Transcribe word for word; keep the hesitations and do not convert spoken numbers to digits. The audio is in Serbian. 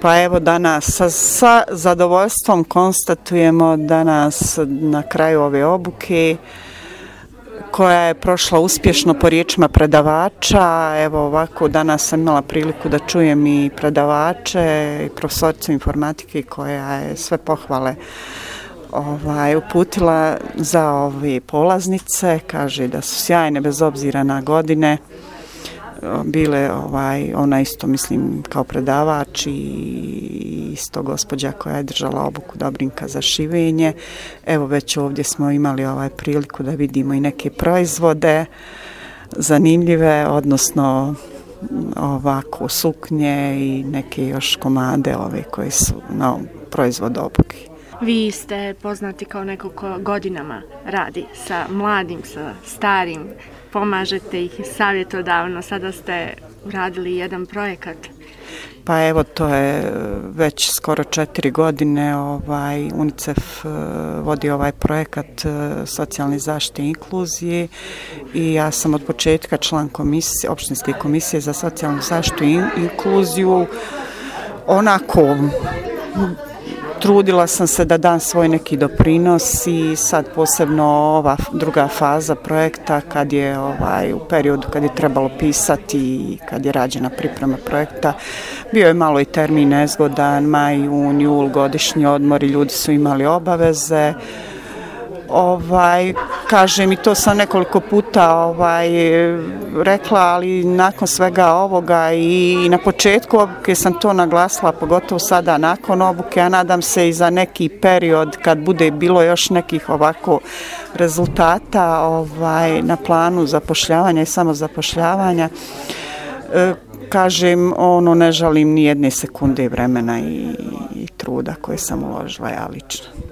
Pa evo danas sa, sa zadovoljstvom konstatujemo danas na kraju ove obuke koja je prošla uspješno po riječima predavača. Evo ovako danas sam imala priliku da čujem i predavače i profesoricu informatike koja je sve pohvale ovaj, uputila za ove polaznice. Kaže da su sjajne bez obzira na godine. Bile, ovaj, ona isto mislim kao predavač i isto gospođa koja je držala obuku Dobrinka za šivenje. Evo već ovdje smo imali ovaj priliku da vidimo i neke proizvode zanimljive, odnosno ovako suknje i neke još komade ove koji su na proizvod obuke. Vi ste poznati kao neko ko godinama radi sa mladim, sa starim, pomažete ih savjetodavno, sada ste uradili jedan projekat. Pa evo to je već skoro četiri godine ovaj, UNICEF vodi ovaj projekat socijalne zaštite i inkluzije i ja sam od početka član komisije, opštinske komisije za socijalnu zaštitu i inkluziju. Onako trudila sam se da dam svoj neki doprinos i sad posebno ova druga faza projekta kad je ovaj, u periodu kad je trebalo pisati i kad je rađena priprema projekta, bio je malo i termin nezgodan, maj, jun, jul, godišnji odmor i ljudi su imali obaveze. Ovaj, kažem i to sam nekoliko puta ovaj, rekla, ali nakon svega ovoga i, i na početku obuke sam to naglasila, pogotovo sada nakon obuke, a nadam se i za neki period kad bude bilo još nekih ovako rezultata ovaj, na planu zapošljavanja i samozapošljavanja. E, kažem, ono, ne žalim ni jedne sekunde vremena i, i truda koje sam uložila ja lično.